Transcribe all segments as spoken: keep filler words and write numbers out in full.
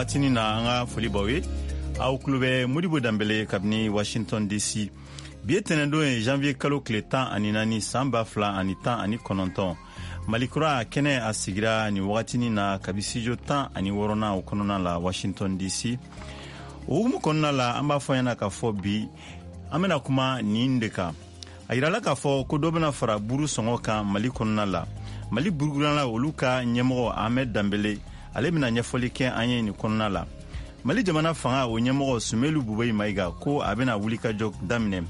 Waatinin na an ka foli b'aw ye. Aw tulo bɛ Modibo Danbele kabini Washington D C. Bi ye tɛnɛndon ye, janvier kalo tile tan ani naani, san ba fila ani tan ani kɔnɔntɔn. Malikura kɛnɛ a sigira nin wagatinin na kabi studio tan ani wɔɔrɔnan o kɔnɔna la, Washington D C. O hukumu kɔnɔna la, an b'a fɔ ɲɛna k'a fɔ bi an bɛna kuma nin de kan. A yirala k'a fɔ ko dɔ bɛna fara buru sɔngɔ kan Mali kɔnɔna la. Mali burudilanna olu ka ɲɛmɔgɔ Ahmed Danbele, ale bɛna ɲɛfɔli kɛ an ye nin kɔnɔna la. Mali jamana fanga o ɲɛmɔgɔ Sumelu Bubeyi Mayiga ko a bɛna wulikajɔ daminɛ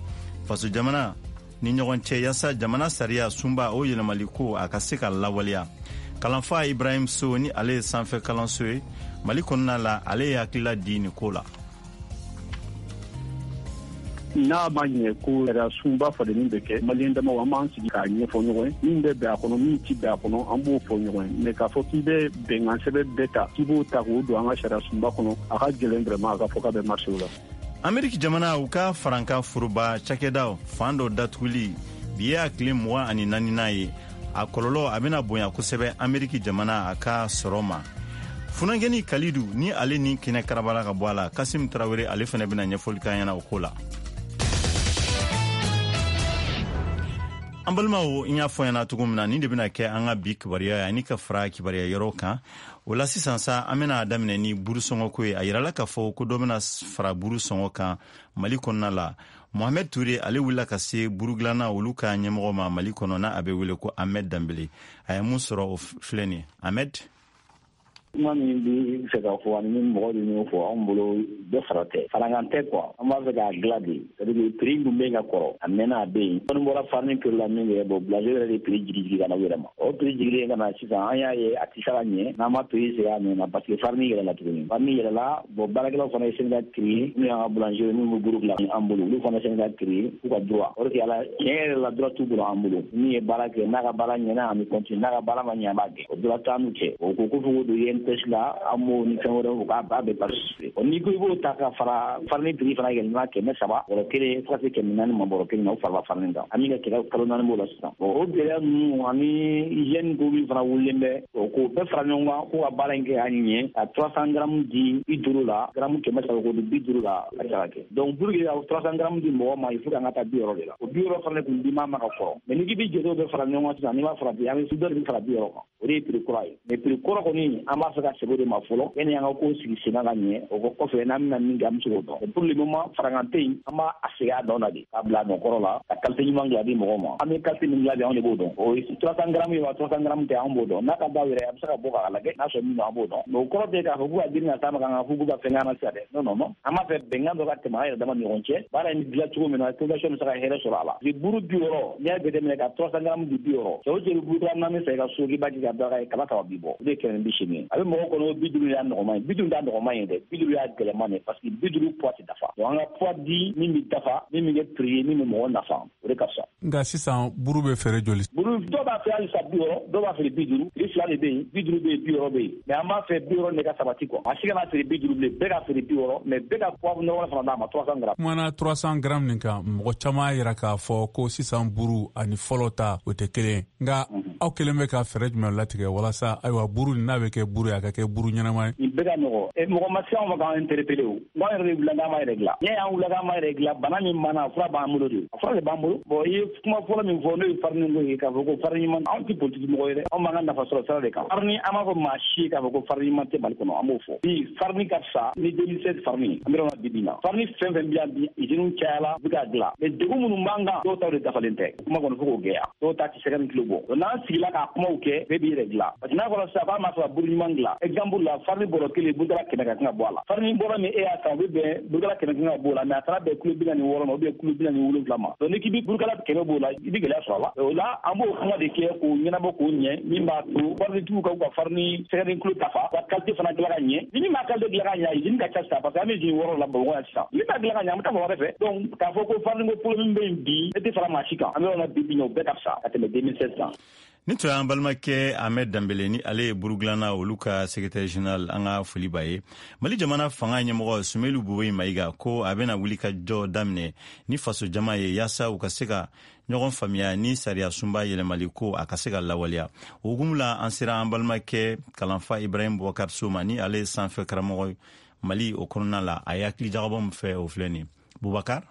faso jamana ni ɲɔgɔn cɛ yaasa jamana sariya sunba o yɛlɛmali ko a ka se ka lawaleya. Kalanfa Ibrahim So, ni ale ye sanfɛ kalanso ye Mali kɔnɔna la, ale ye hakilila di nin ko la. N'a ma ɲɛ ko sariya sunba falenni bɛ kɛ, Maliyɛn damaw, an b'an sigi k'a ɲɛfɔ ɲɔgɔn ye. Min bɛ bɛn a kɔnɔ, min ti bɛn a kɔnɔ, an b'o fɔ ɲɔgɔn ye. Mais k'a fɔ k'i bɛ bɛnkan sɛbɛn bɛɛ ta, k'i b'o ta k'o don an ka sariya sunba kɔnɔ, a ka gɛlɛn vraiment a ka fɔ k'a bɛ marcher o la. Ameriki jamana u ka farankan foroba cakɛdaw fan dɔ datuguli bi ye a tile mugan ani naaninan ye. A kɔlɔlɔ a bɛna bonya kosɛbɛ Ameriki jamana a ka sɔrɔ ma. Funankɛni Kalidu ni ale ni kɛnɛ karabala ka bɔ a la, Kasim Tarawele, ale fɛnɛ bɛna ɲɛfɔli k'an ɲɛna o ko la. An balimaw, n y'a fɔ ɲɛna cogo min na, nin de bɛna kɛ an ka bi kibaruya ye ani ka fara kibaruya yɔrɔ kan. O la sisan sa, an bɛna daminɛ ni buru sɔngɔ ko ye. A yirala k'a fɔ ko dɔ bɛna fara buru sɔngɔ kan Mali kɔnɔna la. Mohamed Ture, ale wulila ka se burudilanna olu ka ɲɛmɔgɔ ma Mali kɔnɔ, n'a a bɛ wele ko Ahmed Danbele. A ye mun sɔrɔ, o filɛ nin ye. Ahmed. Kuma min bi fɛ ka fɔ ani ni mɔgɔ de y'o fɔ, anw bolo dɔ fara tɛ, farankan tɛ quoi. An b'a fɛ k'a dilan de, c'est à dire prix dun bɛ yen ka kɔrɔ, a mɛnna, a bɛ yen. Dɔɔni bɔra farini prix la min kɛ, bon, boulanger yɛrɛ de prix jigi jigi ka na u yɛrɛ ma. O prix jigilen ka na sisan, an y'a ye a tɛ se ka ɲɛ n'an ma prix segin a nɔ na, parce que farini yɛlɛla tuguni, farini yɛlɛla. Bon, baarakɛlaw fana ye syndicat créé, minnu y'an ka boulanger, minnu bɛ buru dilan an bolo, olu fana syndicat créé k'u ka droit. O de kɛ ala tiɲɛ yɛrɛ la, droit t'u bolo an bolo. Min ye baara kɛ, n'a ka baara ɲɛna, an bɛ continuer, n'a ka baara ma ɲɛ, an b'a gɛn. O droit t'an n'u cɛ. O ko ko fo k'o don I N P S la, an b'o ni fɛn wɛrɛw k'a b'a bɛɛ participer. N'i ko i b'o ta ka fara farini prix fana yɛlɛma kɛmɛ saba bɔrɔ kelen fo ka se kɛmɛ naani ma bɔrɔ kelen na, o farala farini kan. An bɛ ka kɛlɛ kalo naani b'o la sisan. Bon, o gɛlɛya ninnu ani hygiène ko min fana wulilen bɛ, o k'o bɛɛ fara ɲɔgɔn kan k'o ka baara in kɛ a ɲɛ, ka trois cents grammes di bi duuru la, gramme kɛmɛ saba k'o di bi duuru la, a tɛ se ka kɛ. Donc pour que ka trois cents grammes di mɔgɔ ma, il faut k'an ka taa bi wɔɔrɔ de la. O bi wɔɔrɔ fana kun di ma ma ka kɔrɔ. Mais n'i k'i bi jate bɛɛ fara ɲɔgɔn kan sisan, n'i b'a fara bi, an bɛ dɔ de bɛ fara bi wɔɔrɔ kan, o de ye prix kura ye. Mais prix kɔrɔ kɔni, an b'a fɛ ka segin o de ma fɔlɔ yanni an ka ko sigi sen kan ka ɲɛ. O kɔfɛ, n'an bɛna min kɛ, an bɛ se k'o dɔn. Pour le moment, farankan tɛ yen. An b'a segin a nɔ na de, k'a bila a nɔ kɔrɔ la, ka qualité ɲuman dilan di mɔgɔw ma. An bɛ qualité min dilan bi, anw de b'o dɔn. O ye trois cents grammes ye wa, trois cents grammes tɛ, anw b'o dɔn. N'a ka d'aw yɛrɛ, a bɛ se ka bɔ k'a lajɛ, n'a sɔrɔ min don, an b'o dɔn. Mais o kɔrɔ tɛ k'a fɔ k'u ka girin ka s'a ma k'an ka fɔ k'u ka fɛn k'an na sisan dɛ. Non, non, non, an b'a fɛ bɛnkan dɔ ka tɛmɛ an yɛrɛ dama ni ɲɔgɔn cɛ, baara in bɛ dilan cogo min na, population bɛ se ka hɛrɛ sɔrɔ a la. Buru bi wɔɔrɔ, n'i y'a jateminɛ ka trois cents grammes di bi wɔɔrɔ, cɛ o cɛ bɛ buru naani san i ka so k'i b'a k'i ka daga ye, kaba saba b'i bɔ, o de ye kɛmɛ ni bi seegin ye. A bɛ mɔgɔ kɔnɔ bi duuru y'a nɔgɔman ye, bi duuru t'a nɔgɔman ye dɛ, bi duuru y'a gɛlɛman de, parce que bi duuru poids tɛ dafa. Donc an ka poids di min bɛ dafa, min bɛ kɛ prix ye, min bɛ mɔgɔ nafa, o de ka fisa. Nka sisan buru bɛ feere joli? Buru, dɔw b'a feere halisa bi wɔɔrɔ, dɔw b'a feere bi duuru. Prix fila de bɛ yen, bi duuru bɛ yen, bi wɔɔrɔ bɛ yen. Mais an b'a fɛ bi wɔɔrɔ de ka sabati quoi. A si kana feere bi duuru bilen, bɛɛ ka feere bi wɔɔrɔ, mais bɛɛ ka poids nɔgɔ fana d'a ma, trois cents grammes. Kumana trois cents grammes nin kan, mɔgɔ caman y'a yira k'a fɔ ko sisan buru ani fɔlɔ ta o tɛ kelen ye. Nka aw kelen bɛ ka fɛɛrɛ jumɛn latigɛ walasa ayiwa buru nin n'a bɛ kɛ buru ye, a ka kɛ buru ɲɛnama ye? Nin bɛɛ ka nɔgɔ. Mɔgɔ ma se anw ma k'an interpeller. O n k'an yɛrɛ de wulila k'an b'a yɛrɛ dilan. N'i y'an wulila k'an b'a yɛrɛ dilan, bana min banna, a fura b'an bolo de, a fura de b'an bolo. Bon, i ye kuma fɔlɔ min fɔ, n'o ye farini ko ye, k'a fɔ ko farini ɲuman, anw tɛ politiki mɔgɔ ye dɛ, anw b'an ka nafa sɔrɔ sira de kan. Farini, an b'a fɔ maa si ye k'a fɔ ko farini ɲuman tɛ Mali kɔnɔ, an b'o fɔ bi. Farini ka fisa ni deux mille seize farini. An bɛ yɔrɔ min na bi bi in na, farini fɛn fɛn bɛ yan bi, usines cayala, u bɛ k'a dilan, mais degun minnu b'an kan, dɔw taw de dafalen tɛ. Kuma kɔni fo k'o gɛlɛya, dɔw ta tɛ sɛgɛ ni kilo bɔ. N'an sigila k'a kumaw kɛ, bɛɛ b'i yɛrɛ dilan, parce que n'a fɔra sisan k'a ma fɛ ka buru ɲuman dilan, exemple la, farini bɔrɔ kelen, burukala kɛmɛ ka kan ka bɔ a la. Farini bɔrɔ min e y'a san, o bɛ bɛn burukala kɛmɛ kan ka bɔ o la, mais a taara bɛn kilo bi naani wɔɔrɔ ma ou bien kilo bi naani wolonwula ma. Donc n'i k'i bɛ burukala kɛmɛ b'o la, i bɛ gɛlɛya sɔrɔ a la. O la, an b'o kuma de kɛ k'o ɲɛnabɔ k'o ɲɛ, min b'a to farinitigiw ka u ka farini sɛgɛden kilo dafa, ka qualité fana dilan ka ɲɛ. Ni min m'a qualité dilan ka ɲɛ, usine ka ca sisan, parce que an bɛ usine wɔɔrɔ la Bamakɔ yan sisan. Min b'a dilan ka ɲɛ, an bɛ taa fan wɛrɛ fɛ. Donc k'a fɔ ko farini ko problème bɛ yen bi, ne tɛ fara maa si kan. An bɛ yɔrɔ min na bi bi in na, o bɛɛ ka fisa ka tɛmɛ deux mille seize kan. Ni tun y'an balimakɛ Ahmed Danbele, ni ale ye burudilanna olu ka secrétaire général, an ka foli b'a ye. Mali jamana fanga ɲɛmɔgɔ Soumeylou Boubèye Maïga ko a bɛna wuli ka jɔ daminɛ ni faso jama ye, yaasa u ka se ka ɲɔgɔn faamuya ni sariya sunba yɛlɛmali ko a ka se ka lawaleya. O hukumu la, an sera an balimakɛ kalanfa Ibrahim Boubacar So ma, ni ale ye sanfɛ karamɔgɔ Mali o kɔnɔna la. A ye hakili jagabɔ min fɛ, o filɛ nin. Boubacar.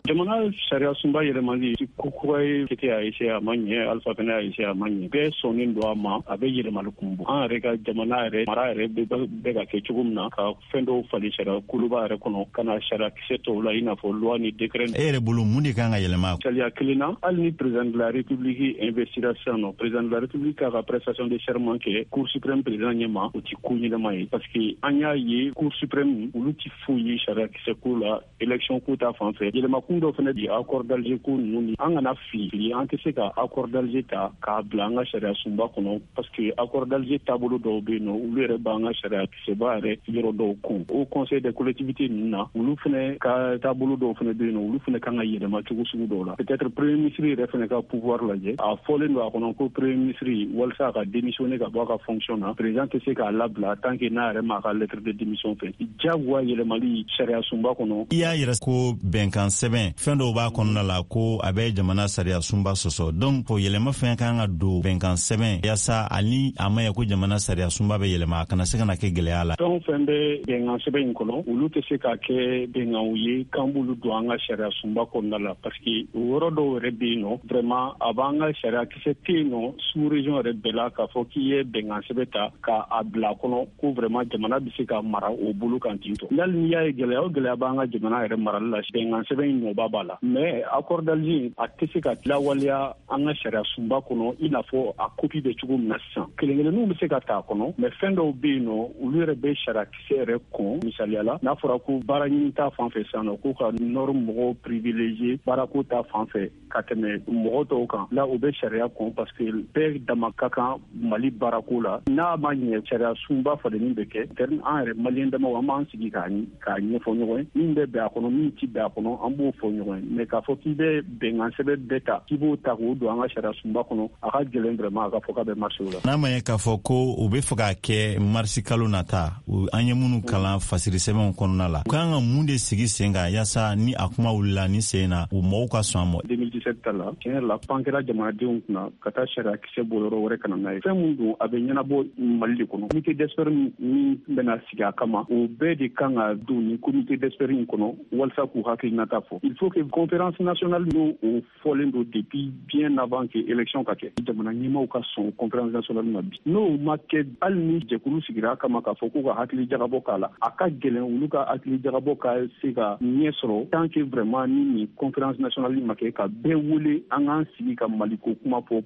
Jamana sariya sunba yɛlɛmali, ko kura ye. Kete y'a essayer, a ma ɲɛ. Alpha fɛnɛ y'a essayer, a ma ɲɛ. Bɛɛ sɔnnen don a ma, a bɛ yɛlɛmali kun bɔ. An yɛrɛ ka jamana yɛrɛ mara yɛrɛ bɛ ka kɛ cogo min na, ka fɛn dɔw falen sariya koloba yɛrɛ kɔnɔ, ka na sariya kisɛ tɔw la, i n'a fɔ loi ni décret. E yɛrɛ bolo, mun de kan ka yɛlɛma? Sariya kelen na, hali ni président de la République investira sisan nɔ, président de la République k'a ka prestation de serment kɛ Cour suprême président ɲɛma, o ti ko ɲɛnama ye, parce que an y'a ye, Cour suprême, olu ti foyi ye sariya kisɛ ko la, élection ko ta fan fɛ. Yɛlɛma kun dɔ fɛnɛ di, accord d'Alger ko ninnu ni an kana fili fili. An tɛ se ka accord d'Alger ta k'a bila an ka sariya sunba kɔnɔ, parce que accord d'Alger taabolo dɔw bɛ yen nɔ, olu yɛrɛ b'an ka sariya kisɛba yɛrɛ yɔrɔ dɔw kun. O Conseil des collectivités ninnu na, olu fɛnɛ ka taabolo dɔw fɛnɛ bɛ yen nɔ, olu fɛnɛ kan ka yɛlɛma cogo sugu dɔw la. Peut-être premier ministre yɛrɛ fɛnɛ ka pouvoir lajɛ. A fɔlen don a kɔnɔ ko premier ministre, walasa a ka démissionner ka bɔ a ka fonction na, président tɛ se k'a labila tant que n'a yɛrɛ m'a ka lettre de démission fɛ. Jagoya yɛlɛmali sariya sunba kɔnɔ. I y'a yɛrɛ ko bɛnkan sɛbɛn, fɛn dɔw b'a kɔnɔna la ko a bɛ jamana sariya sunba sɔsɔ. Donc o yɛlɛma fɛn kan ka don bɛnkan sɛbɛn, yaasa ani a ma ye ko jamana sariya sunba bɛ yɛlɛma, a kana se ka na kɛ gɛlɛya la. Fɛn o fɛn bɛ bɛnkan sɛbɛn in kɔnɔ, olu tɛ se ka kɛ bɛnkanw ye k'an b'olu don an ka sariya sunba kɔnɔna la, parce que o yɔrɔ dɔw yɛrɛ bɛ yen nɔ, vraiment a b'an ka sariya kisɛ tɛ yen nɔ sous région yɛrɛ bɛɛ la, k'a fɔ k'i ye bɛnkan sɛbɛn ta k'a bila a kɔnɔ ko vraiment jamana bɛ se ka mara o bolo kan ten tɔ. Hali n'i y'a ye, gɛlɛya o gɛlɛya b'an ka jamana yɛrɛ marali la, bɛnkan sɛbɛn in nɔba b'a la, mais accord d'Alger a tɛ se ka lawaleya an ka sariya sunba kɔnɔ i n'a fɔ a copie bɛ cogo min na sisan. Kelen kelenninw bɛ se ka ta a kɔnɔ, mais fɛn dɔw bɛ yen nɔ, olu yɛrɛ bɛ sariya kisɛ yɛrɛ kɔn. Misaliya la, n'a fɔra ko baara ɲini ta fan fɛ sisan nɔ, ko ka nord mɔgɔw privilégié baarako ta fan fɛ ka tɛmɛ mɔgɔ tɔw kan la, o bɛ sariya kɔn, parce que bɛɛ dama ka kan Mali baarako la. N'a ma ɲɛ sariya sunba falenni bɛ kɛ, an yɛrɛ Maliyɛn damaw, an b'an sigi k'a k'a ɲɛfɔ ɲɔgɔn ye. Min bɛ bɛn a kɔnɔ, min ti bɛn a kɔnɔ, an b'o fɔ ɲɔgɔn ye. Mais k'a fɔ k'i bɛ bɛnkan sɛbɛn bɛɛ ta, k'i b'o ta k'o don an ka sariya sunba kɔnɔ, a ka gɛlɛn vraiment a ka fɔ k'a bɛ marcher o la. N'a ma ɲɛ k'a fɔ ko u bɛ fɛ k'a kɛ marisi kalo nata, an ye minnu kalan fasiri sɛbɛnw kɔnɔna la, u kan ka mun de sigi sen kan, yaasa ni a kuma wulila ni sen na, u mɔgɔw ka sɔn a ma? deux mille dix-sept ta la, tiɲɛ yɛrɛ la, pan kɛra jamanadenw kunna ka taa sariya kisɛ bɔ yɔrɔ wɛrɛ ka na n'a ye. Fɛn mun don, a bɛ ɲɛnabɔ Mali de kɔnɔ. Comité d'expert min bɛna sigi a kama, o bɛɛ de kan ka don nin comité d'expert in kɔnɔ walasa k'u hakilinata fɔ. Il faut que conférence nationale, n'o o fɔlen don depuis bien avant que élection ka kɛ, jamana ɲɛmaaw ka sɔn conférence nationale ma bi. N'o ma kɛ, hali ni jɛkulu sigira a kama k'a fɔ k'u ka hakili jagabɔ k'a la, a ka gɛlɛn olu ka hakili jagabɔ ka se ka ɲɛ sɔrɔ tant que vraiment ni nin conférence nationale ma kɛ, ka bɛɛ wele, an k'an sigi ka Maliko kuma fɔ.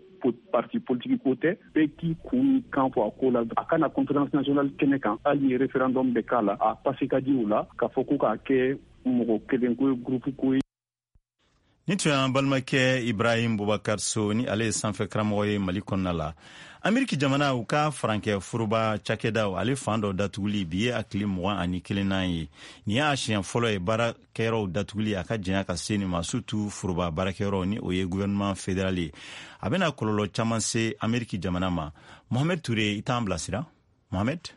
Parti politique ko tɛ, bɛɛ k'i kun ni kan fɔ a ko la. A kana conférence nationale kɛnɛ kan, hali ni référendum bɛ k'a la, a passé ka di o la k'a fɔ ko k'a kɛ mɔgɔ kelen ko ye, groupe ko ye. Ni tun y'an balimakɛ Ibrahim Bubakar So, ni ale ye sanfɛ karamɔgɔ ye Mali kɔnɔna la. Ameriki jamana, u ka farankɛ foroba cakɛdaw, ale fan dɔ datuguli, bi ye a tile mugan ani kelennan ye. Nin y'a siɲɛ fɔlɔ ye baarakɛyɔrɔw datuguli a ka janya ka se nin ma, surtout foroba baarakɛyɔrɔ, ni o ye gouvernement fédéral ye. A bɛna kɔlɔlɔ caman se Ameriki jamana ma. Mohamed Ture, i t'an bilasira, Mohamed.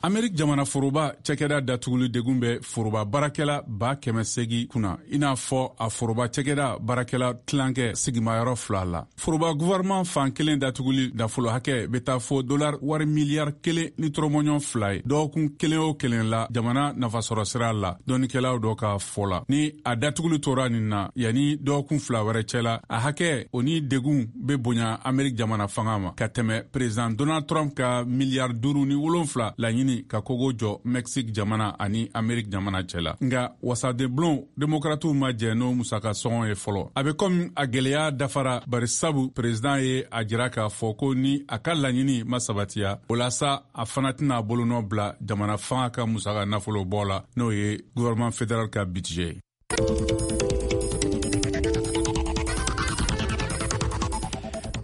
Amerik jamana foroba cɛkɛda datuguli degun bɛ foroba baarakɛla ba kɛmɛ segi kunna, i n'a fɔ a foroba cɛkɛda baarakɛla tilankɛ sigimayɔrɔ fila la. Foroba gouvernement fan kelen datuguli nafolo hakɛ bɛ taa fo dolar wari miliyari kelen ni tɔrɔmɔɲɔgɔn fila ye dɔgɔkun kelen o kelen la jamana nafasɔrɔ sira la, dɔnnikɛlaw dɔ ka fɔ la. Ni a datuguli tora nin na, yanni dɔgɔkun fila wɛrɛ cɛ la, a hakɛ o ni degun bɛ bonya Amerik jamana fanga ma ka tɛmɛ président Donald Trump ka miliyari duuru ni wolonfila laɲini ka kogo jɔ Mexique jamana ani Amerik jamana cɛ la. Nga wasadenbulon Demokratiw ma jɛ n'o musaka sɔngɔ ye fɔlɔ. A be komi a gwɛlɛya dafara, bari sabu président ye a jira k'a fɔ ko ni a ka laɲini ma sabatiya, o la sa a fana tɛna bolonɔ bila jamana fanga ka musaka nafolo bɔ la, n'o ye gouvernement fédéral ka budget ye.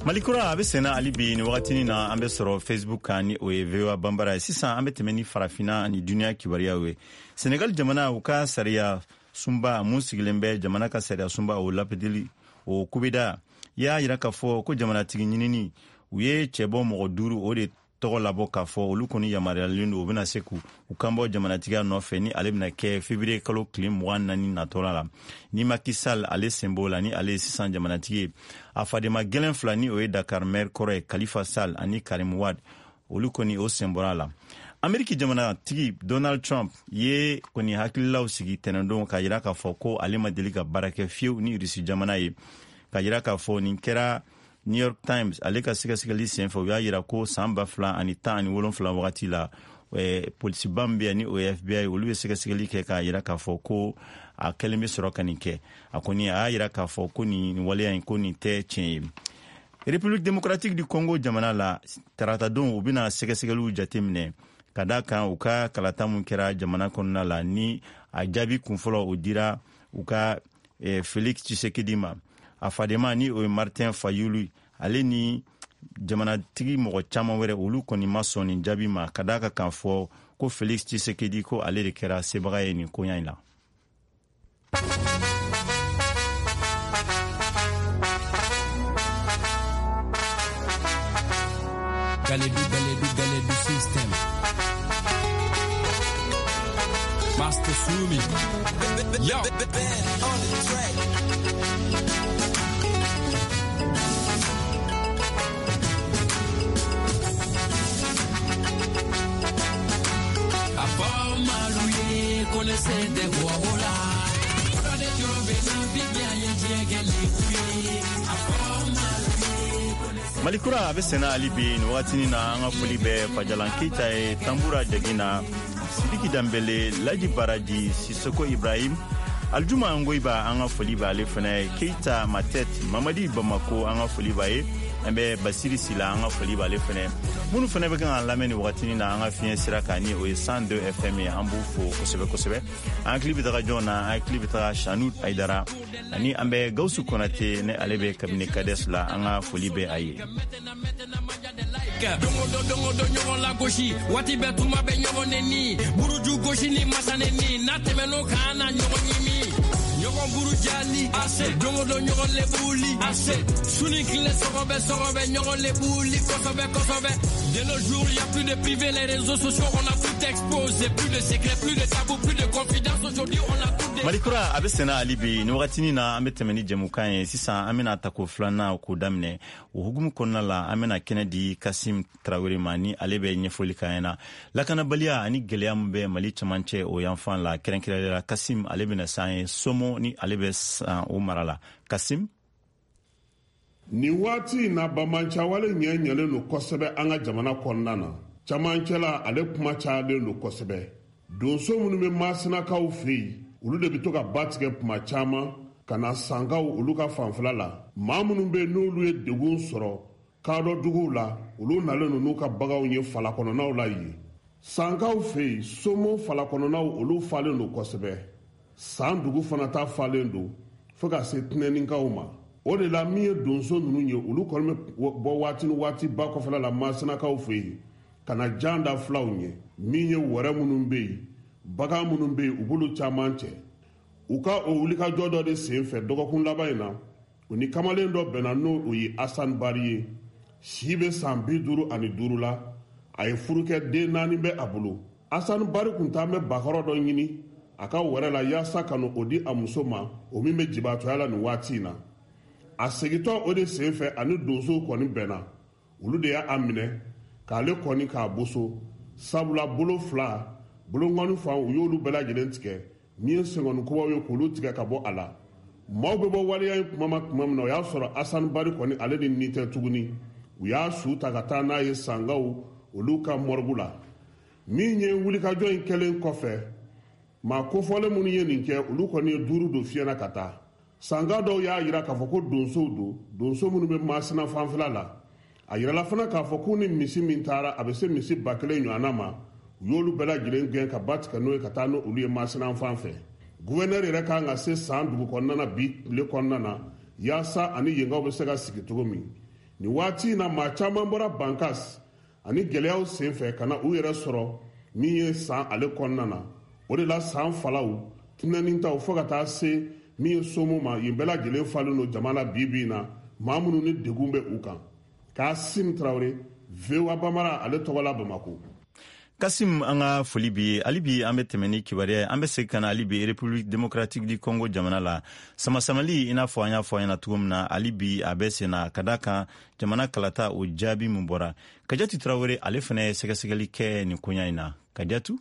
Mali kura a bɛ senna hali bi. Ni wagatinin na, an bɛ sɔrɔ Facebook kan, ni o ye V O A Banbara ye. Sisan an bɛ tɛmɛ ni Farafina ani duniya kibaruyaw ye. Senegal jamana, u ka sariya sunba mun sigilen bɛ jamana ka sariya sunba o lapidili o kubeda y'a yira k'a fɔ ko jamanatigi ɲinini u ye cɛbɔ mɔgɔ duuru o de tɔgɔ labɔ k'a fɔ olu kɔni yamaruyalen don, u bɛna se k'u kanbɔ jamanatigiya nɔfɛ ni ale bɛna kɛ février kalo tile mugan naani natɔla la. Ni Macky Sall ale sen b'o la, ni ale ye sisan jamanatigi ye. A fadenma gɛlɛn fila, ni o ye Dakar maire kɔrɔ ye Khalifa Sall ani Karim Wade, olu kɔni o sen bɔra a la. Ameriki jamanatigi Donald Trump ye kɔni hakililaw sigi tɛnɛndon k'a yira k'a fɔ ko ale ma deli ka baara kɛ fiyewu ni Rusi jamana ye, k'a yira k'a fɔ nin kɛra New York Times ale ka sɛgɛsɛgɛli senfɛ. U y'a yira ko san ba fila ani tan ani wolonfila wagati la, eh, polisiba min bɛ yan ni o ye F B I, olu ye sɛgɛsɛgɛli kɛ k'a yira k'a fɔ ko a kɛlen bɛ sɔrɔ ka nin kɛ. A kɔni a y'a yira k'a fɔ ko nin waleya in, ko nin tɛ tiɲɛ ye. République démocratique du Congo jamana la, taratadon u bɛna sɛgɛsɛgɛliw jateminɛ ka da kan u ka kalata mun kɛra jamana kɔnɔna la, ni a jaabi kunfɔlɔ o dira u ka eh, Félix Tshisekedi ma. A fadenma, ni o ye Martin Fayulu, ale ni jamanatigi mɔgɔ caman wɛrɛ, olu kɔni ma sɔn nin jaabi ma, ka da kan k'a fɔ ko Félix Tshisekedi, ko ale de kɛra sebaga ye nin koɲa in la. Galedu, Galedu, Galedu system. Master Sumi. Yo. On the track. Malikura a bɛ senna hali bi nin wagatinin na. An ka foli bɛ Fajalan Keyita ye, Tanbura Jagina, Sidiki Danbele, Laji Baraji, Sisoko Ibrahim, Aljuma Ngoyiba, an ka foli b'ale fana ye, Keyita Matet, Mamadi Bamako, an ka foli b'a ye. An bɛ Basiri Sila, an ka foli b'ale fana. Minnu fana bɛ kan k'an lamɛn nin wagatinin na an ka fiɲɛ sira kan, ni o ye cent deux F M ye, an b'u fo kosɛbɛ kosɛbɛ. An hakili bɛ taga jɔn na? An hakili bɛ taga Sanu Ayidara, ani an bɛ Gawusu Konate, ni ale bɛ kabini Kades la, an ka foli bɛ a ye. Dongo do dongo do ɲɔgɔn lagosi, waati bɛɛ tuma bɛ ɲɔgɔn neni, buruju gosi ni masa neni, n'a tɛmɛn'o kan an na ɲɔgɔn ɲimi, ɲɔgɔn burujali ase, dongo do ɲɔgɔn lebuli ase, su ni tile sɔgɔbɛ sɔgɔbɛ ɲɔgɔn lebuli kosɛbɛ kosɛbɛ. De nos jours, y a plus de privé, les réseaux sociaux, on a tout exposé, plus de secrets, plus de tabous, plus de confidence, aujourd'hui on a tout. Malikura a bɛ senna hali bi nin wagatinin na. An bɛ tɛmɛ ni jɛmukan ye sisan. An bɛna tako filanan k'o daminɛ. O hukumu kɔnɔna la, an bɛna kɛnɛ di Kasim Tarawele ma, ni ale bɛ ɲɛfɔli k'an ɲɛna lakanabaliya ani gɛlɛya min bɛ Mali cɛmancɛ o yanfan la, kɛrɛnkɛrɛnnenya la. Kasim ale bɛna s'an ye Somo, ni ale bɛ san o mara la. Kasim. Nin waati in na, bamancawale ɲɛ ɲɛlen don kosɛbɛ an ka jamana kɔnɔna na. Camancɛla ale kuma cayalen don kosɛbɛ. Donso minnu bɛ Masinakaw fɛ yen, olu de bɛ to ka ba tigɛ kuma caman ka na Sankaw olu ka fanfɛla la. Maa minnu bɛ yen, n'olu ye degun sɔrɔ kadɔ duguw la, olu nalen don n'u ka baganw ye falakɔnɔnaw la yen. Sankaw fɛ yen, Somo falakɔnɔnaw, olu falen don kosɛbɛ. San dugu fana ta falen don fo ka se Tɛnɛninkaw ma. O de la, min ye donso ninnu ye, olu kɔni bɛ bɔ waati ni waati ba kɔfɛla la Masinakaw fɛ yen ka na jan da filaw ɲɛ. Min ye wɛrɛ minnu bɛ yen, bagan minnu bɛ yen, u b'olu caman cɛ. U ka o wulikajɔ dɔ de sen fɛ, dɔgɔkun laban in na, u ni kamalen dɔ bɛnna, n'o o ye Asan Bari ye, si bɛ san bi duuru ani duuru la. A ye furukɛ, den naani bɛ a bolo. Asan Bari kun t'an bɛ bakɔrɔ dɔ ɲini a ka wɛrɛ la yaasa ka n'o di a muso ma, o min bɛ jibatɔya la nin waati in na. A segintɔ o de sen fɛ, ani donsow kɔni bɛnna. Olu de y'a minɛ k'ale kɔni k'a boso, sabula bolo fila bolonkɔni fan, u y'olu bɛɛ lajɛlen tigɛ. Min ye senkɔni kubaw ye, k'olu tigɛ ka bɔ a la. Maaw bɛ bɔ waleya in kuma ma tuma min na, o y'a sɔrɔ Asan Bari kɔni, ale ni nin tɛ tuguni. U y'a su ta ka taa n'a ye Sangaw olu ka morgue la. Min ye wulikajɔ in kɛlen kɔfɛ, maa kofɔlen minnu ye nin kɛ, olu kɔni ye duuru don fiɲɛ na ka taa. Sanga dɔw y'a yira k'a fɔ ko donsow don, donso minnu bɛ Masina fanfɛla la. A yirala fana k'a fɔ k'u ni misi min taara, a bɛ se misi ba kelen ɲɔgɔnna ma. U y'olu bɛɛ lajɛlen gɛn ka ba tigɛ n'o ye ka taa n'olu ye Masina fan fɛ. Guvɛnɛri yɛrɛ kan ka se San dugu kɔnɔna na bi tile kɔnɔna na, yaasa ani yenkaw bɛ se ka sigi cogo min. Nin waati in na, maa caman bɔra Bankas ani gɛlɛyaw sen fɛ ka na u yɛrɛ sɔrɔ min ye San ale kɔnɔna na. O de la, San falaw tɛnɛnin taw fo ka taa se min ye Somo ma yen, bɛɛ lajɛlen falen don jama la bi bi in na. maa minnu ni degun bɛ u kan. Kasim Traoré, V O A Bambara, ale tɔgɔ la Bamako. Kasim, an ka foli b'i ye. Hali bi an bɛ tɛmɛ ni kibaruya ye. An bɛ segin ka na hali bi République démocratique du Congo jamana la. Samasamali, i n'a fɔ an y'a fɔ an ɲɛna cogo min na, hali bi a bɛ sen na ka da kan jamana kalata o jaabi min bɔra. Kajatu Traoré, ale fana ye sɛgɛsɛgɛli kɛ nin koɲa in na. Kajatu?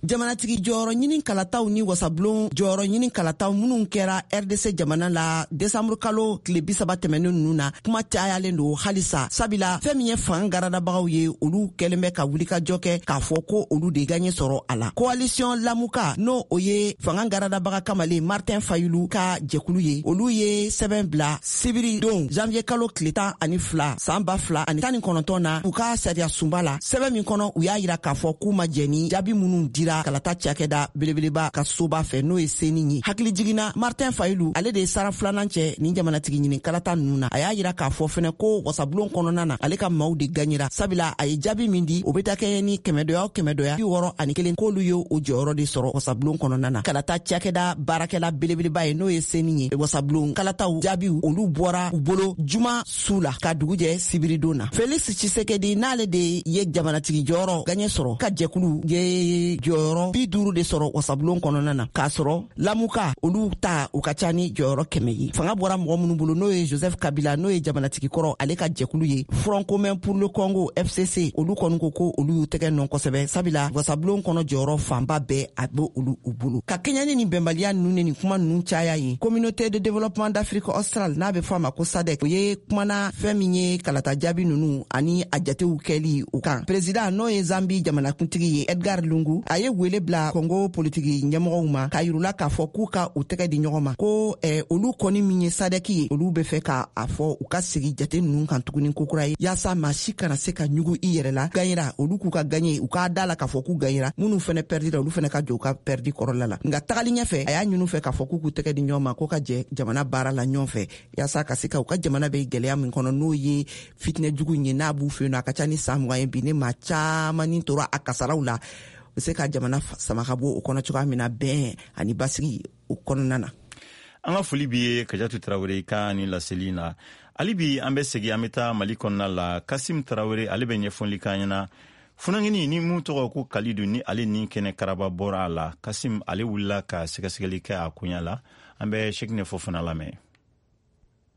Jamanatigi jɔyɔrɔ ɲini kalataw ni wasabulon jɔyɔrɔ ɲini kalataw minnu kɛra R D C jamana la desanburu kalo tile bi saba tɛmɛnen ninnu na, kuma cayalen don halisa, sabila fɛn min ye fanga garadabagaw ye, olu kɛlen bɛ ka wulikajɔ kɛ k'a fɔ ko olu de gaɲɛ sɔrɔ a la. Coalition Lamuka, n'o o ye fanga garadabaga kamalen Martin Fayulu ka jɛkulu ye, olu ye sɛbɛn bila sibiri don janvier kalo tile tan ani fila san ba fila ani tan ni kɔnɔntɔn na u ka sariya sunba la, sɛbɛn min kɔnɔ u y'a yira k'a fɔ k'u ma jɛn ni jaabi minnu dira kalata cakɛda belebeleba ka soba fɛ, n'o ye seni ye. Hakili jiginna Martin Fayulu, ale de ye sara filanan cɛ nin jamanatigi ɲini kalata ninnu na. A y'a yira k'a fɔ fɛnɛ ko wasabulon kɔnɔna na ale ka maaw de gaɲera, sabila a ye jaabi min di o bɛ taa kɛɲɛ ni kɛmɛdɔya o kɛmɛdɔya bi wɔɔrɔ ani kelen, k'olu ye o jɔyɔrɔ de sɔrɔ wasabulon kɔnɔna na. Kalata cakɛda baarakɛla belebeleba ye, n'o ye seni ye, wasabulon kalataw jaabiw olu bɔra u bolo juma su la ka dugu jɛ sibiridon na. Felix Tshisekedi, n'ale de ye jamanatigi jɔyɔrɔ gaɲɛ sɔrɔ, ka jɛkulu ye jɔyɔrɔ bi duuru de sɔrɔ wasabulon kɔnɔna na, k'a sɔrɔ Lamuka olu ta u ka ca ni jɔyɔrɔ kɛmɛ ye. Fanga bɔra mɔgɔ minnu bolo, n'o ye Joseph Kabila, n'o ye jamanatigi kɔrɔ, ale ka jɛkulu ye Front commun pour le Congo F C C, olu kɔni ko ko olu y'u tɛgɛ nɔ kosɛbɛ, sabila wasabulon kɔnɔ jɔyɔrɔ fanba bɛɛ a bɛ olu u bolo. Ka kɛɲɛ ni nin bɛnbaliya ninnu ni nin kuma ninnu caya ye, Communauté de développement d'Afrique australe, n'a bɛ fɔ a ma ko SADC, o ye kumana fɛn min ye kalata jaabi ninnu ani a jatew kɛli u kan. Président, n'o ye Zambi jamanakuntigi ye, Edgar Lungu, a ye wele bila Congo politiki ɲɛmɔgɔw ma k'a yirula k'a fɔ k'u ka u tɛgɛ di ɲɔgɔn ma, ko eh, olu kɔni min ye SADC ye, olu bɛ fɛ k'a fɔ u ka sigi jate ninnu kan tuguni kokura ye, yaasa maa si kana se ka ɲugu i yɛrɛ la. Gaɲera olu k'u ka gaɲe, u k'a da la k'a fɔ k'u gaɲera, minnu fɛnɛ pɛrdira olu fɛnɛ ka jɔ u ka pɛrdi kɔrɔla la. Nka tagali ɲɛfɛ, a y'a ɲini fɛ k'a fɔ k'u k'u tɛgɛ di ɲɔgɔn ma, k'u ka jɛ jamana baara la ɲɔgɔn fɛ, yaasa ka se ka u ka jamana bɛ gɛlɛya min kɔnɔ, n'o ye fitinɛ jugu in ye, n'a b'u fɛ yen nɔ, a ka ca ni san mugan ye bi, ne maa caman ni tora a kasaraw la, u se ka jamana sama ka bɔ o kɔnɔ cogoya min na, bɛn ani basigi o kɔnɔna na. An ka foli b'i ye Kajatu Traoré ka ni laseli na. Hali bi an bɛ segin, an bɛ taa Mali kɔnɔna la. Kasim Traoré, ale bɛ ɲɛfɔli k'an ɲɛna funankɛnin ni mun tɔgɔ ko Kalidu, ni ale ni kɛnɛ karaba bɔra a la. Kasim, ale wulila ka sɛgɛsɛgɛli kɛ a koɲa la. An bɛ Cheick Fofana lamɛn.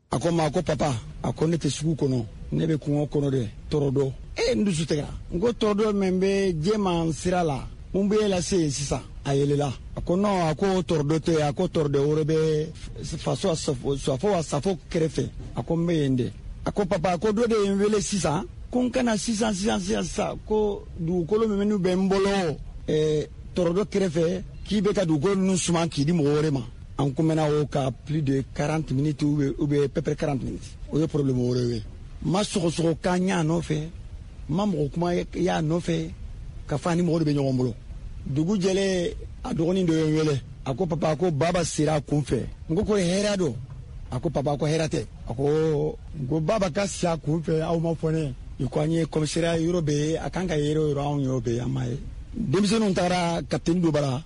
A ko ma ko papa, a ko ne tɛ sugu kɔnɔ, ne bɛ kungo kɔnɔ dɛ, tɔrɔdɔ. E n dusu tigɛra, n ko tɔrɔdɔ min bɛ jɛman sira la, mun bɛ e lase yen sisan? A yɛlɛla, a ko non, a ko tɔrɔdɔ tɛ, a ko tɔrɔdɔ wɛrɛ bɛ faso safo wa safo kɛrɛfɛ, a ko n bɛ yen de. A ko papa, a ko dɔ de ye n wele sisan, ko n kana sisan sisan sisan sisan, ko dugukolo minnu bɛ n bolo ɛɛ tɔrɔdɔ kɛrɛfɛ, k'i bɛ ka dugukolo ninnu suman k'i di mɔgɔ wɛrɛ ma. An kumena o ka plus de quarante minutes ou bien, ou bien peu près quarante minutes. O ye problème wɛrɛ ye. Ma sɔgɔsɔgɔ kan y'a nɔfɛ, ma mɔgɔ kuma y'a nɔfɛ, ka fa ni mɔgɔ de bɛ ɲɔgɔn bolo. Dugu jɛlen, a dɔgɔnin dɔ ye n wele, a ko papa, ko baba sera a kun fɛ. N ko ko hɛrɛ don. A ko papa, ko hɛrɛ tɛ. A ko n ko baba ka si a kun fɛ, aw ma fɔ ne. I ko an ye commissariat yɔrɔ bɛ yen, a kan ka yɔrɔ o yɔrɔ, anw y'o bɛ yen, an m'a ye. Denmisɛnninw taara capitaine dɔ bara.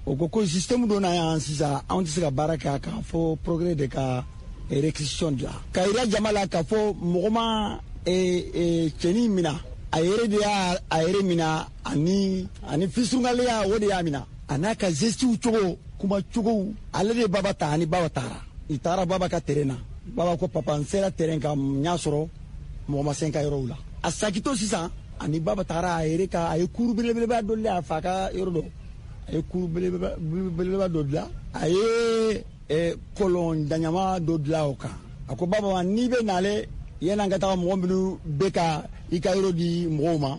O ko ko système dɔ na yan sisan, anw tɛ se ka baara kɛ a kan fo progrès de ka réquisition dilan ka yira jama la k'a fɔ mɔgɔ ma cɛnin mina, a yɛrɛ de y'a a yɛrɛ mina, ani ani fisurungaleya o de y'a mina, a n'a ka gestew cogo, kuma cogo, ale de baba ta ani baba taara. I taara baba ka terrain na, baba ko papa, n sera terrain kan, n y'a sɔrɔ mɔgɔ ma se n ka yɔrɔw la. A sakito sisan, ani baba taara a yɛrɛ ka, a ye kuru belebeleba dɔ lɛ a fa ka yɔrɔ dɔ, a ye kuru belebeleba dɔ dilan, a ye kɔlɔn daɲama dɔ dilan o kan. A ko baba ma, n'i bɛ nale yanni an ka taga mɔgɔ minnu bɛ ka i ka yɔrɔ di mɔgɔw ma,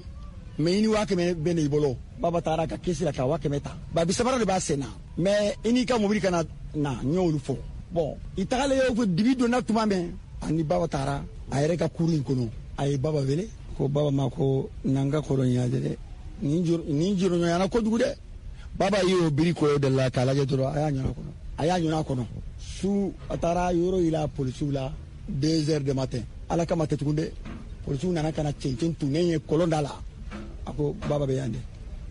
mɛ i ni waa kɛmɛ bɛ na i bolo. Baba taara ka kesi la ka waa kɛmɛ ta, babi sabara de b'a sen na, mɛ i n'i ka mobili kana na, n y'olu fɔ. Bɔn, i tagalen y'o fɔ, dibi donna tuma min, ani baba taara a yɛrɛ ka kuru in kɔnɔ, a ye baba wele, ko baba ma ko n'an ka kɔlɔn ɲa dɛ, nin jɔrɔɲɔgɔnyana kojugu dɛ. Baba y'o biri kɔyɔ de la k'a lajɛ dɔrɔn, a y'a ɲɔna kɔnɔ, a y'a ɲɔna kɔnɔ. Su a taara yɔrɔ yira polisiw la deux heures de matin, ala kama tɛ tugun dɛ. Polisiw nana ka na cɛncɛn tunnen ye kɔlɔn da la. A ko baba bɛ yan dɛ,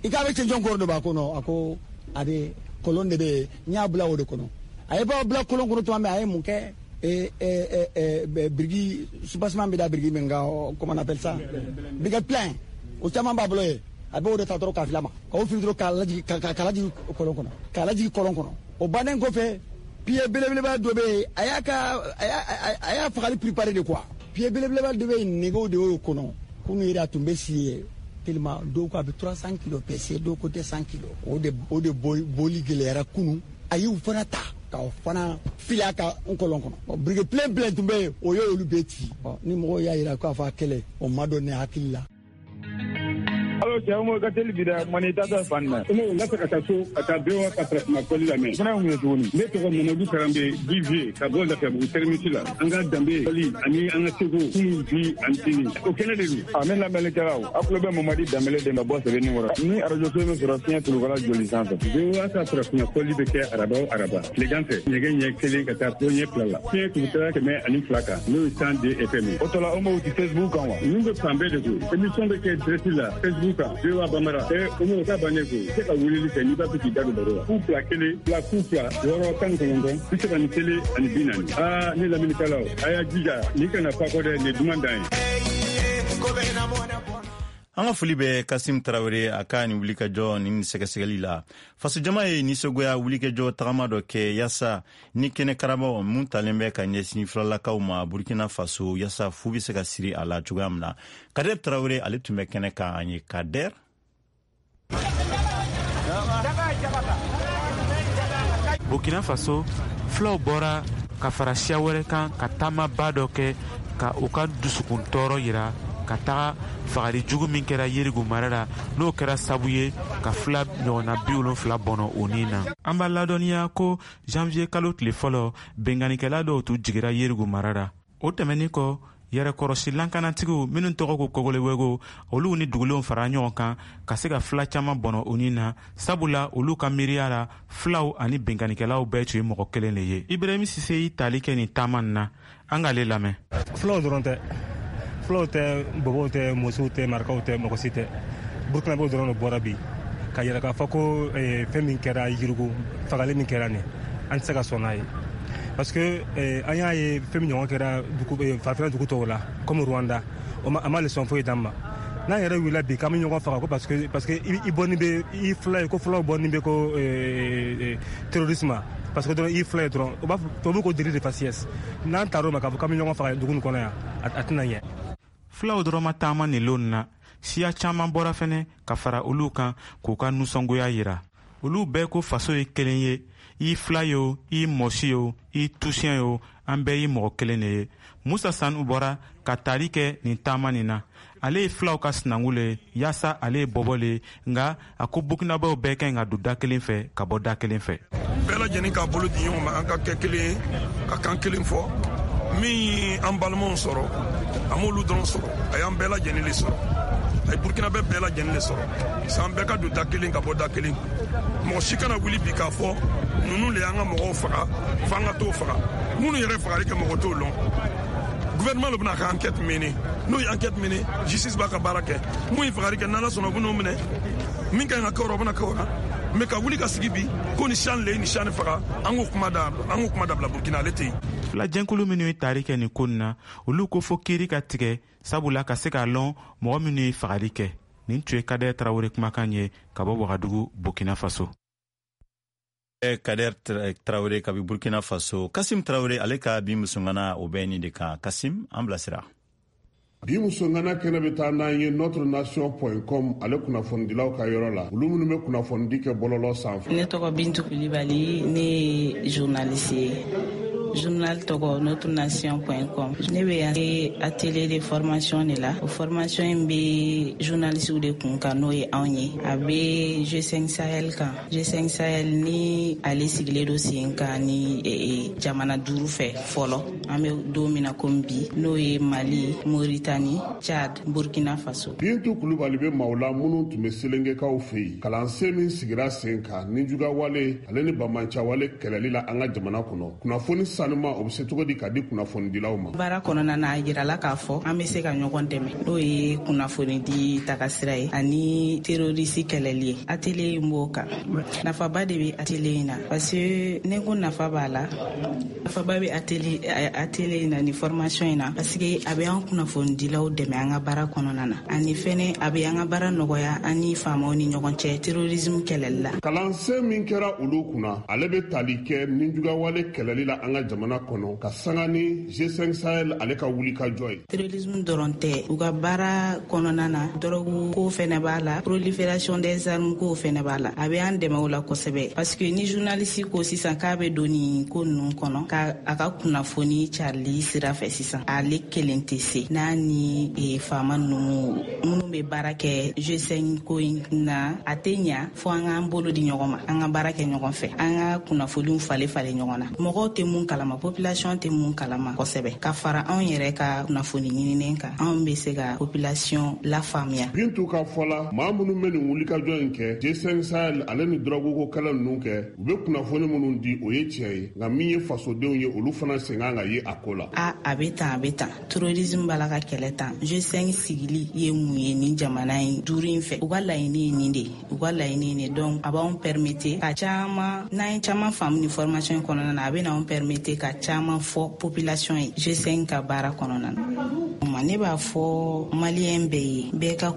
i k'a bɛ cɛncɛn kɔrɔ dɔ b'a kɔnɔ. A ko a bɛ kɔlɔn de bɛ yen, n y'a bila o de kɔnɔ. A ye baba bila kɔlɔn kɔnɔ tuma min, a ye mun kɛ? Et, et, et, et biriki soubassement bɛ da biriki min kan, comment on appelle ça, briquet plein, o caman b'a bolo yen. A b'o de ta dɔrɔn k'a fili a ma, k'o fili dɔrɔn k'a lajigin k'a lajigin kɔlɔn kɔnɔ k'a lajigin kɔlɔn kɔnɔ. O bannen kɔfɛ, pied belebeleba dɔ bɛ yen, a y'a ka a y'a a y'a fagali préparé de quoi. Pied belebeleba dɔ bɛ yen, nɛgɛw de y'o kɔnɔ. Kunu yɛrɛ a tun bɛ si yen tellement, dɔw ko a bɛ trois cents kilos pèse, dɔw ko deux cents kilos. O de o de boli gɛlɛyara kunu. A y'u fana ta k'o fana fili a ka n kɔlɔn kɔnɔ. Briquet plein plein tun bɛ yen, o y'olu bɛɛ ci. Ni mɔgɔw y'a yira k'a fɔ a kɛlɛ, o ma dɔn ne hakili la. Alo cɛ, o ka teli bi dɛ, mani ta tɛ fan na. N ka fɛ ka taa so ka taa B O A ka farafinna kɔli lamɛn. Fana ye mun ye tuguni? Ne tɔgɔ Mamadu Karanbe D J ka bɔ Lafiyabugu terminus la. An ka danbe kɔli ani an ka seko kunun, bi ani sini, o kɛnɛ de don. A ne lamɛnnikɛlaw, aw tulo bɛ Mamadi Danbele de ma bɔ sɛbɛnni kɔrɔ. Ni arajo so bɛ sɔrɔ fiɲɛ tulukala joli sanfɛ. B O A ka farafinna kɔli bɛ kɛ araba o araba tilegan fɛ, nɛgɛ ɲɛ kelen ka taa ɲɛ fila la. Fiɲɛ tulukala kɛmɛ ani fila kan, n'o ye cent deux F M ye. O tɔla o m'o ti Facebook kan wa? Ninnu bɛ fan bɛɛ de koyi. Émission bɛ kɛ direct la Facebook kan, B O A Bambara. Ɛ o m'o ta bannen koyi. I se ka weleli kɛ n'i b'a fɛ k'i da don baro la. Fu fila kelen fila fu fila wɔɔrɔ tan ni kɔnɔntɔn bi saba ni kelen ani bi naani. Aa ne lamɛnnikɛlaw, a y'a jija nin kana fa kɔ dɛ, nin ye duman dan ye. An ka foli bɛ Kasim Tarawele, a ka nin wulikajɔ ni sɛgɛsɛgɛli la. Fasojama ye nisɔngoya wulikajɔ tagama dɔ kɛ yaasa ni kɛnɛ karabaw mun talen bɛ ka ɲɛsin filalakaw ma Burkina Faso, yaasa fu bɛ se ka siri a la cogoya min na. Kader Tarawele, ale tun bɛ kɛnɛ kan an ye. Kader. Burkina Faso, filaw bɔra ka fara siya wɛrɛ kan ka taamaba dɔ kɛ ka u ka dusukun tɔɔrɔ yira ka taga fagali jugu min kɛra Yerigu mara la, n'o kɛra sabu ye ka fila ɲɔgɔnna bi wolonfila bɔnɔ o nin na. An b'a ladɔnniya ko janvier kalo tile fɔlɔ, benganikɛla dɔw tun jigira Yerigu mara la. O tɛmɛnin kɔ, yɛrɛkɔrɔsi lankanatigiw minw tɔgɔ ko Kogolewego, olu ni dugulenw fara ɲɔgɔn kan ka se ka fila caaman bɔnɔ o nin na, sabula olu ka miiriya la, filaw ani benganikɛlaw bɛɛ tun ye mɔgɔ kelen le ye. Ibrahim Sise y'i tali kɛ nin taama nin na, an k'ale lamɛn. Filaw dɔrɔn tɛ, filaw tɛ, bɔbɔw tɛ, musow tɛ, marakaw tɛ, mɔgɔ si tɛ. Burukinabew dɔrɔn de bɔra bi ka yɛrɛ k'a fɔ ko fɛn min kɛra Yirigu, fagali min kɛra nin, an tɛ se ka sɔn n'a ye, parce que an y'a ye fɛn min ɲɔgɔn kɛra farafinna dugu tɔw la comme Rwanda, o ma a ma leçon foyi d'an ma. N'an yɛrɛ wulila bi k'an bɛ ɲɔgɔn faga ko parce que parce que i bɔnni bɛ i fila ye, ko filaw bɔnni bɛ ko terrorisme, parce que dɔrɔn i fila ye dɔrɔn, o b'a fɔ tubabu ko délit de faciès. N'an taar'o ma k'a fɔ k'an bɛ ɲɔgɔn faga dugu nin kɔnɔ yan, a tɛna ɲɛ. Filaw dɔrɔn ma taama nin lon na, siya caaman bɔra fɛnɛ ka fara olu kan k'u ka nusɔngoya yira. Olu bɛɛ ko faso ye kelen ye, i fila ye o, i mɔsi ye o, i tusiyɛn ye o, an bɛɛ ye mɔgɔ kelen de ye. Musa Sanu bɔra ka taali kɛ nin taama nin na. Ale ye filaw ka sinankun le ye, yaasa ale ye bɔbɔ le ye, nka a ko burukinabew bɛɛ ka ɲi ka don da kelen fɛ ka bɔ da kelen fɛ. Bɛɛ lajɛlen k'a bolo di ɲɔgɔn ma, an ka kɛ kelen ye, ka kan kelen fɔ. Min ye an balimaw sɔrɔ, a m'olu dɔrɔn sɔrɔ, a y'an bɛɛ lajɛlen de sɔrɔ, a ye Burukina bɛ bɛɛ lajɛlen de sɔrɔ. San bɛɛ ka don da kelen ka bɔ da kelen. Mɔgɔ si kana wuli bi k'a fɔ ninnu le y'an ka mɔgɔw faga f'an ka t'o faga. Minnu yɛrɛ fagali kɛ, mɔgɔ t'o lɔn. Gouvernement le bɛna ka enquête mener. N'o ye enquête mener, justice b'a ka baara kɛ. Mun ye fagali kɛ, n'Ala sɔnna, u bɛn'o minɛ. Min ka ɲi ka kɛ o rɔ, o bɛna kɛ o la. Mais ka wuli ka sigi bi ko ni siyan le ye ni siyan faga, an k'o kuma da, an k'o kuma dabila. Burukina ale tɛ yen. Filajɛnkulu minnu ye taari kɛ nin ko nin na, olu ko fo kiiri ka tigɛ, sabula ka se k'a lɔn mɔgɔ minnu ye fagali kɛ. Nin tun ye Kadɛ Tarawele kumakan ye ka bɔ Wagadugu, Burkina Faso. Kader Tarawele kabi Burkina Faso. Kasim Tarawele, ale ka bi musongana, o bɛ nin de kan. Kasim, an bilasira. Bi musongana kɛnɛ bɛ taa n'an ye notre nation point com, ale kunnafonidilaw ka yɔrɔ la, olu minnu bɛ kunnafonidi kɛ bɔlɔlɔ sanfɛ. Ne tɔgɔ Bintu Kulibali, ne ye journaliste ye, journal tɔgɔ notre nation point com. Ne bɛ yan atelier de formation de la. O formation in bɛ journalistew de kun kan, n'o ye anw ye. A bɛ G cinq Sahel kan. G cinq Sahel ni ale sigilen don sen kan ni jamana duuru fɛ fɔlɔ, an bɛ don min na komi bi, n'o ye Mali, Mauritanie, Tchad, Burkina Faso. Bintu Kulubali bɛ maaw la minnu tun bɛ Selengekaw fɛ yen, kalansen min sigira sen kan ni jugawale ale ni bamancawale kɛlɛli la an ka jamana kɔnɔ, kunnafoni. sanuma, o bɛ se cogo di ka di kunnafonidilaw ma? Baara kɔnɔna na, a yirala k'a fɔ an bɛ se ka ɲɔgɔn dɛmɛ, n'o ye kunnafonidi tagasira ye ani terroriste kɛlɛli ye. Atelier in b'o kan. Nafaba de bɛ atelier in na, parce que ne ko nafa b'a la, nafaba bɛ atelier atelier in na ni formation in na, parce que a bɛ an kunnafonidilaw dɛmɛ an ka baara kɔnɔna na, ani fɛnɛ a bɛ an ka baara nɔgɔya an ni faamaw ni ɲɔgɔn cɛ terrorisme kɛlɛli la. Kalansen min kɛra olu kunna, ale bɛ tali kɛ nijuguyawale kɛlɛli la an ka jamana kɔnɔ, ka sanga ni G cinq Sahel ale ka wulikajɔ ye. Terrorisme dɔrɔn tɛ, u ka baara kɔnɔna na, dɔrɔgu ko fɛnɛ b'a la, prolifération des armes ko fɛnɛ b'a la. A bɛ an dɛmɛ o la kosɛbɛ, parce que ni journaliste ko sisan k'a bɛ don nin ko ninnu kɔnɔ, ka a ka kunnafoni carili sira fɛ sisan, ale kelen tɛ se, n'a ni e, faama ninnu minnu bɛ baara kɛ G cinq ko in na, a tɛ ɲa fo an k'an bolo di ɲɔgɔn ma, an ka baara kɛ ɲɔgɔn fɛ, an ka kunnafoniw falen falen ɲɔgɔn na. Mɔgɔw tɛ mun kalama, population tɛ mun kalama kosɛbɛ, ka fara anw yɛrɛ ka kunnafoni ɲininen kan, anw bɛ se ka population lafaamuya. Bintu ka fɔ la, maa minnu bɛ nin wulikajɔ in kɛ, G cinq Sahel ale ni dɔrɔguko kɛlɛ ninnu kɛ, u bɛ kunnafoni minnu di, o ye tiɲɛ ye, nka min ye fasodenw ye, olu fana sen kan ka ye a ko la. A a bɛ tan, a bɛ tan, terrorisme b'a la ka kɛlɛ tan, G cinq sigili ye mun ye nin jamana in duuru in fɛ, u ka laɲini ye nin de ye, u ka laɲini ye nin. Donc a b'anw permettre ka caman, n'an ye caman faamu nin formation in kɔnɔna na, a bɛ n'anw permettre ka caman fɔ population ye G cinq ka baara kɔnɔna na. Ne b'a fɔ maliyɛn bɛɛ ye, bɛɛ ka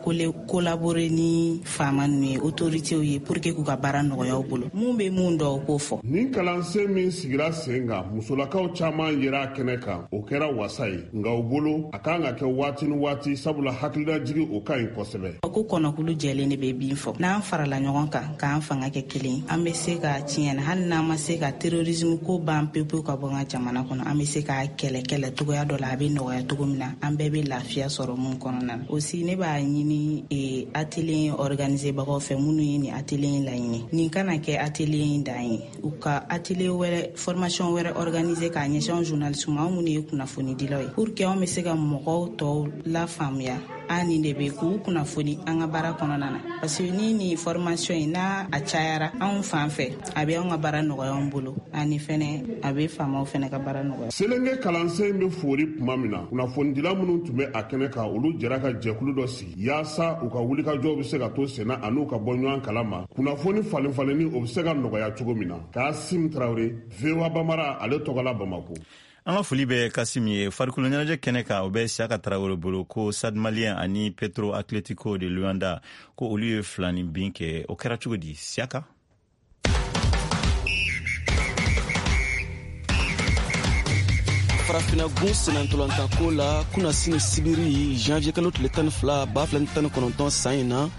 collaborer ni faama ninnu ye, autorités ye, pour que k'u ka baara nɔgɔya u bolo. Mun bɛ mun dɔn, o k'o fɔ. Nin kalansen min sigira sen kan, musolakaw caman yera a kɛnɛ kan, o kɛra wasa ye, nka u bolo a kan ka kɛ waati ni waati, sabula hakililajigi o ka ɲi kosɛbɛ. Ko kɔnɔkulu jɛlen de bɛ bin fɔ, n'an farala ɲɔgɔn kan k'an fanga kɛ kelen, an bɛ se ka tiɲɛ na, hali n'an ma se ka terrorisme ko ban pewu pewu ka bɔ an ka jamana kɔnɔ, an bɛ se k'a kɛlɛ kɛlɛ cogoya dɔ la, a bɛ nɔgɔya cogo min na, an bɛɛ bɛ lafiya sɔrɔ mun kɔnɔna na. Aussi ne b'a ɲini e, atelier organiser bagaw fɛ, minnu ye nin atelier in laɲini, nin kana kɛ atelier in dan ye, u ka atelier wɛrɛ, formation wɛrɛ organiser k'a ɲɛsin anw journaliste ma, anw minnu ye kunnafonidilaw ye, pour que anw bɛ se ka mɔgɔw tɔw lafaamuya an nin de bɛ k'u kunnafoni an ka baara kɔnɔna na. Parce que ni nin formation in n'a a cayara anw fan fɛ, a bɛ anw ka baara nɔgɔya anw bolo, ani fɛnɛ a bɛ faamaw fɛnɛ ka baara nɔgɔya. Selenge kalansen bɛ fori tuma min na, kunnafonidila minnu tun bɛ a kɛnɛ kan, olu jɛra ka jɛkulu dɔ sigi yaasa u ka wulikajɔw bɛ se ka to senna an'u ka bɔ ɲɔgɔn kalama, kunnafoni falen falenni o bɛ se ka nɔgɔya cogo min na. Kasim Tarawele, V O A Bamara, ale tɔgɔ la Bamako. An ka foli bɛ Kasim ye. Farikolo ɲɛnajɛ kɛnɛ kan, o bɛ Siyaka Tarawele bolo. Ko Stade Malien ani Petro Atletico de Luanda, ko olu ye fila ni bin kɛ, o kɛra cogo di, Siyaka? Farafina gun senantolantanko la, kunasini sibiri janvier kalo tile tan ni fila ba fila ni tan ni kɔnɔntɔn san in na,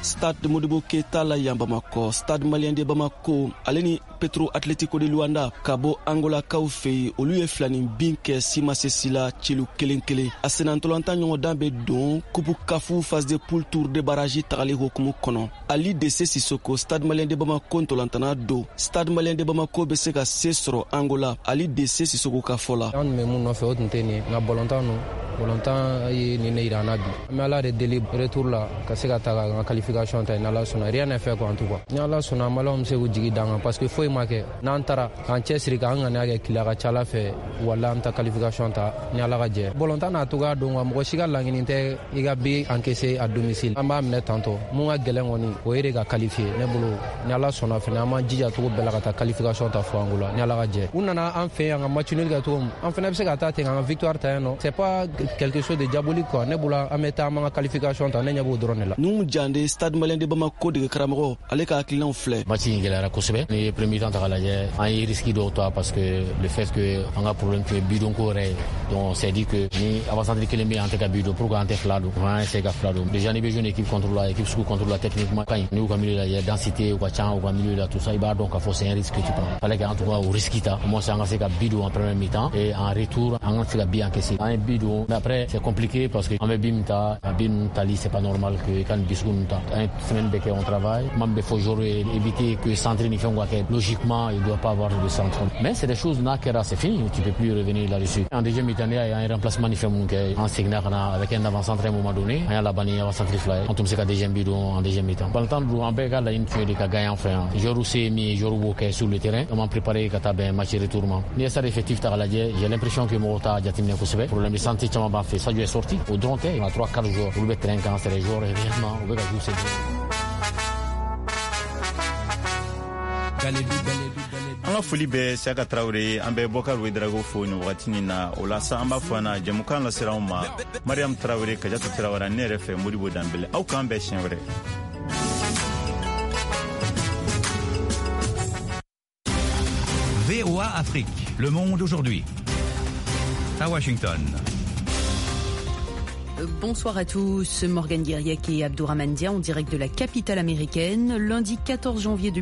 Stade Modibo Keita la yan Bamakɔ, Stade Malien de Bamako ale ni Petro Atletico de Luanda ka bɔ Angolakaw fɛ yen, olu ye filanin bin kɛ simasesi la celu kelen kelen. A senantolantan ɲɔgɔndan bɛ don Coupe CAF phase de poule tour de barrage tagali hokumu kɔnɔ. Ali Dese Sissoko, Stade Malien de Bamako ntolantana don, Stade Malien de Bamako bɛ se ka se sɔrɔ Angola, Ali Dese Sissoko ka fɔ la. An tun bɛ mun nɔfɛ o tun tɛ nin ye, nka bɔlɔntan ninnu, bɔlɔntan ye nin de yira an na bi. An bɛ Ala de deli retour la ka se ka taa ka an ka qualification ta, n'Ala sɔnna. Rien n'est fait quoi, en tout cas. Ni Ala sɔnna, Maliyɛnw bɛ se k'u jigi d'an kan, parce que foyi ma kɛ. N'an taara k'an cɛsiri k'an ŋaniya kɛ kile, a ka ca Ala fɛ, wala an ta qualification ta ni Ala ka jɛ. Bɔlɔntan n'a cogoya don wa, mɔgɔ si ka laɲini tɛ i ka but encaisser à domicile. An b'a minɛ tantɔ, mun ka gɛlɛn kɔni o ye de ka qualifier. Ne bolo, ni Ala sɔnna fɛnɛ, an b'an jija cogo bɛɛ la ka taa qualification ta fo Angola ni Ala ka jɛ. U nana an fɛ yan ka match nul kɛ cogo min, an fɛnɛ bɛ se ka taa ten k'an ka victoire ta yen nɔ. C'est pas quelque chose de diabolique quoi. Ne bolo, an bɛ taa an b'an ka qualification ta, ne ɲɛ b'o dɔrɔn de la. Nuhu Jande, Stade Malien de Bamako dege karamɔgɔ, ale ka hakilinaw filɛ. Match in gɛlɛyara kosɛbɛ. Ni ye premier temps ta k'a lajɛ, an ye risque dɔw ta, parce que le fait que an ka problème tun ye bidon ko yɛrɛ ye. Donc on s'est dit que ni avant-centre kelen bɛ yen, an tɛ ka bidon, pourquoi an tɛ fila don? On a essayé ka fila don. Déjà n'i bɛ jouer une équipe contre la, équipe sugu contre la techniquement ka ɲi. N'i y'u ka milieu lajɛ, densité u ka ca u ka milieu la, tout ça, i b'a dɔn k'a fɔ c'est un risque que tu prends. Fallait qu'en tout cas o risque ta, au moins an ka se ka but don en première mi-temps et en retour an ka se ka but encaisser. An ye but don, mais après c'est compliqué parce que an bɛ but min ta, a but ninnu tali c'est pas normal que i ka nin but sugu ninnu ta. An ye semaine bɛɛ kɛ on travaille. Kuma min bɛ fɔ joueur ye, éviter que centre ni fɛnw ka kɛ. Logique Logiquement, il ne doit pas avoir de centre. Mais c'est des choses, n'a kɛra, c'est fini. Tu peux plus revenir là-dessus. En deuxième mi-temps, il y a un remplacement ni fɛn mun kɛ. An seginna ka na avec un avant-centre à un moment donné. An y'a laban ni avant-centre fila ye. An tun bɛ se ka deuxième but don en deuxième mi-temps. Balontan dun, an bɛɛ ka laɲini tun ye de ka gagner an fɛ yan. Joueur se ye min ye, joueur b'o kɛ sur le terrain. An m'an préparé ka taa bɛn match retour ma. N'i ye stade effectif ta k'a lajɛ, j'ai l'impression que mɔgɔw t'a jateminɛ kosɛbɛ. Problème de santé caman b'an fɛ. Sadio est sorti. O dɔrɔn tɛ. On a trois quatre joueurs. Olu bɛ terrain kan, c'est des joueurs réellement u bɛ ka jouer sen. An ka foli bɛ Siyaka Tarawele, an bɛ Bɔkar Wedarago fo nin wagati nin na. O la sa, an b'a fɔ na jɛmukan lasera anw ma Mariam Tarawele, Kajatu Tarawele, ne yɛrɛ fɛ Modibo Danbele. Aw k'an bɛn siɲɛ wɛrɛ. V O A Afrique, Le Monde aujourd'hui. À Washington. Bonsoir à tous, Morgane Guerriec et Abdourahmane Dia en direct de la capitale américaine, lundi quatorze janvier deux mille